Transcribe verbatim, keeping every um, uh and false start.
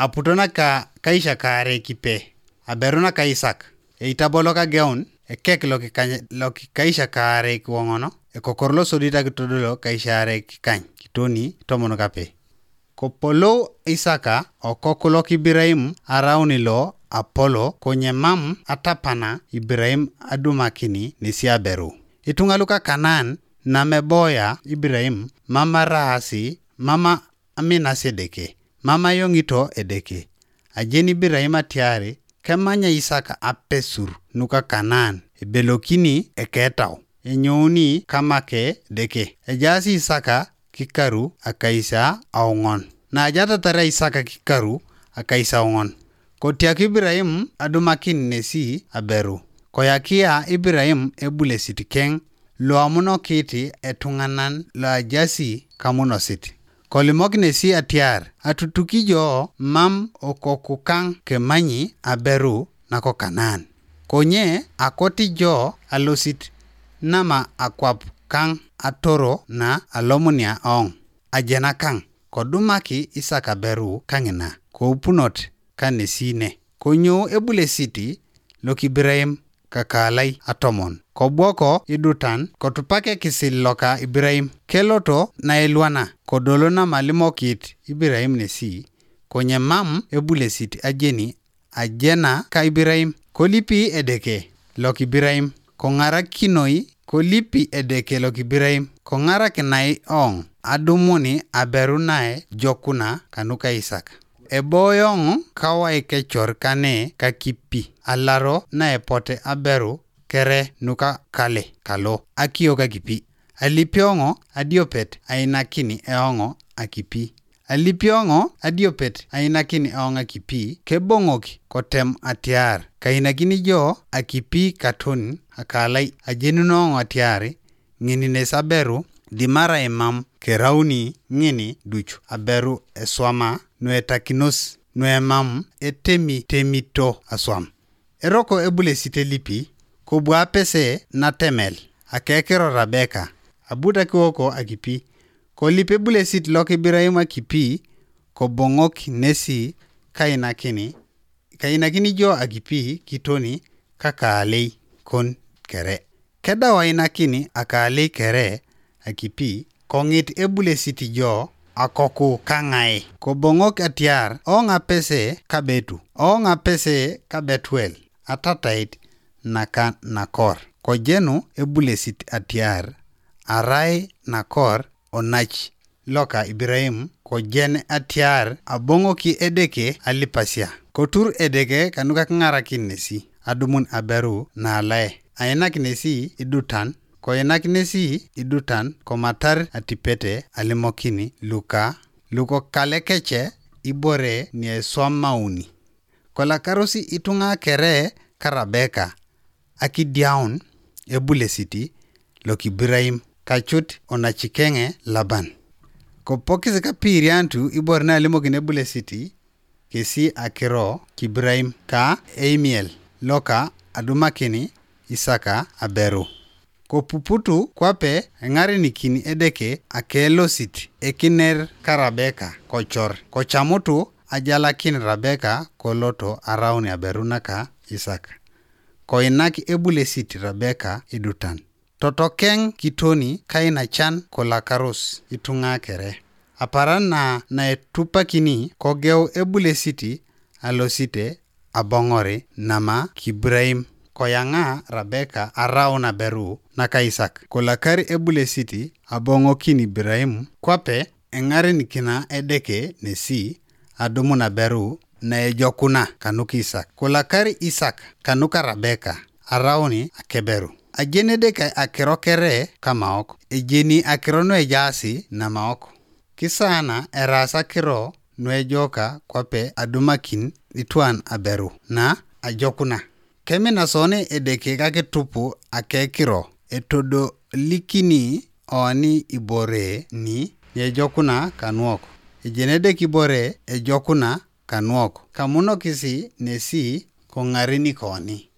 aputo naka kaisha kaare kipe, aberu naka Isak, eitabo loka geun, ekek lokikaisha kaare kiwoŋono, ekokor losodit akitodolo kaisha aare kikany, kitoni tomon kape. Kopolou Isaka okok lok Ibiraim arauni lo apolo, konye mam atapana Ibiraim adumakini nesi aberu. Ituŋa luka Kanaan nameboya Ibiraim, mam araasi, mam aminasi Edeke, mam ayoŋito Edeke. Ajeni Ibiraim atiari kemanya Isaka apesur nuka Kanaan, ebelokini eketau, enyouni kamake Edeke. Ejaasi Isaka kikaru akaisa auŋon. Naajatatar Isaka kikaru akaisa auŋon, kotiak Ibiraim adumakin nesi aberu. Koyakia Ibiraim ebulesit keŋ loamunokit etuŋanan loajasi kamunosit. Kolimok nesi atiar, atutuki jo mam okoku kaŋ kemanyi aberu nako Kanaan. Konye akoti jo alosit nama akwap kaŋ atoro na alomunia oŋ, ajena kaŋ, kodumaki Isak aberu kaŋina, koupunot kanesi ne. Konyou ebulesit lokibiraim kakalai atomon, kobwoko idutan, kotupak ekisil loka Ibiraim, keloto nailwana, kodolo namalimokit Ibiraim nesi, konye mam ebulesit ajeni ajena ka Ibiraim, kolipi Edeke lokibiraim, koŋarakinoi, kolipi Edeke lokibiraim, koŋarakinai oŋ adumuni aberu nae jokuna kanuka Isak. Eboyoŋ kawai kecor kane kakipi, alaro naepote aberu kere nuka kale kalo akio kakipi. Alipioŋo adiopet ainakini eoŋo akipi. Alipioŋo adiopet ainakini eoŋ akipi, keboŋok kotem atiar kainakini jo akipi katon akalai ajenunoŋo atiar ŋin nes aberu, dimarai mam kerauni ŋin duc aberu eswama nuetakinos nuemam etemitemito aswam. Eroko ebulesit elipi, kobu apese natemel akekiro Rabeka, abut akiwoko akipi, kolip ebulesit lok Ibiraim akipi, koboŋok nesi kainakini, kainakini jo akipi kitoni kakaalei kon kere. Kedau ainakini akaalei kere akipi, koŋit ebulesit jo akoku kaŋai, koboŋok atiar oŋ apese kabetu, oŋ apese kabetuel, atatait naka Nakor. Kojenu ebulesit atiar arai Nakor onac loka Ibiraim, kojen atiar aboŋoki Edeke alipasia. Kotur Edeke kanuka kiŋarakin nesi adumun aberu naalae, ainak nesi idutan, koinak nesi idutan komatar atipete alimokin luka lukokalekece ibore nieswamauni. Kolakaros ituŋa kere ka Rabeka akidiaun ebulesit lokibiraim kacut onacikeŋe Laban. Kopokis kapiiriantu ibore nalimokin ebulesit kesi akiro kibiraim ka eimiel loka adumakin Isaka aberu. Kopuputu kwape eŋarenikin Edeke akelosit ekiner ka Rabeka kocor, kocamutu ajalakin Rabeka koloto araun aberu naka Isak. Koinak ebulesit Rabeka idutan. Totokeŋ kitoni kainacan kolakaros ituŋa kere. Aparan na naetupakini kogeu ebulesit alosite aboŋori nama kibiraim. Koyaŋa Rabeka araun aberu naka Isak. Kolakar ebulesit aboŋokin Ibiraim kwape eŋarenikina Edeke nesi adumun aberu naejokuna kanuka Isak. Kolakar Isak kanuka Rabeka arauni akeberu. Ajeni Edeke akiro kere kamaok, ejeni akiro nuejaasi namaok. Kisaana eraas akiro nuejoka kwape adumakin itwan aberu na ajokuna. Kemina soni Edeke kakitupu akekiro, etodolikini oni ibore ni ejokuna kanuok. Ejeni Edeke ibore ejokuna kanuok, kamunokisi nesi koŋarenikoni.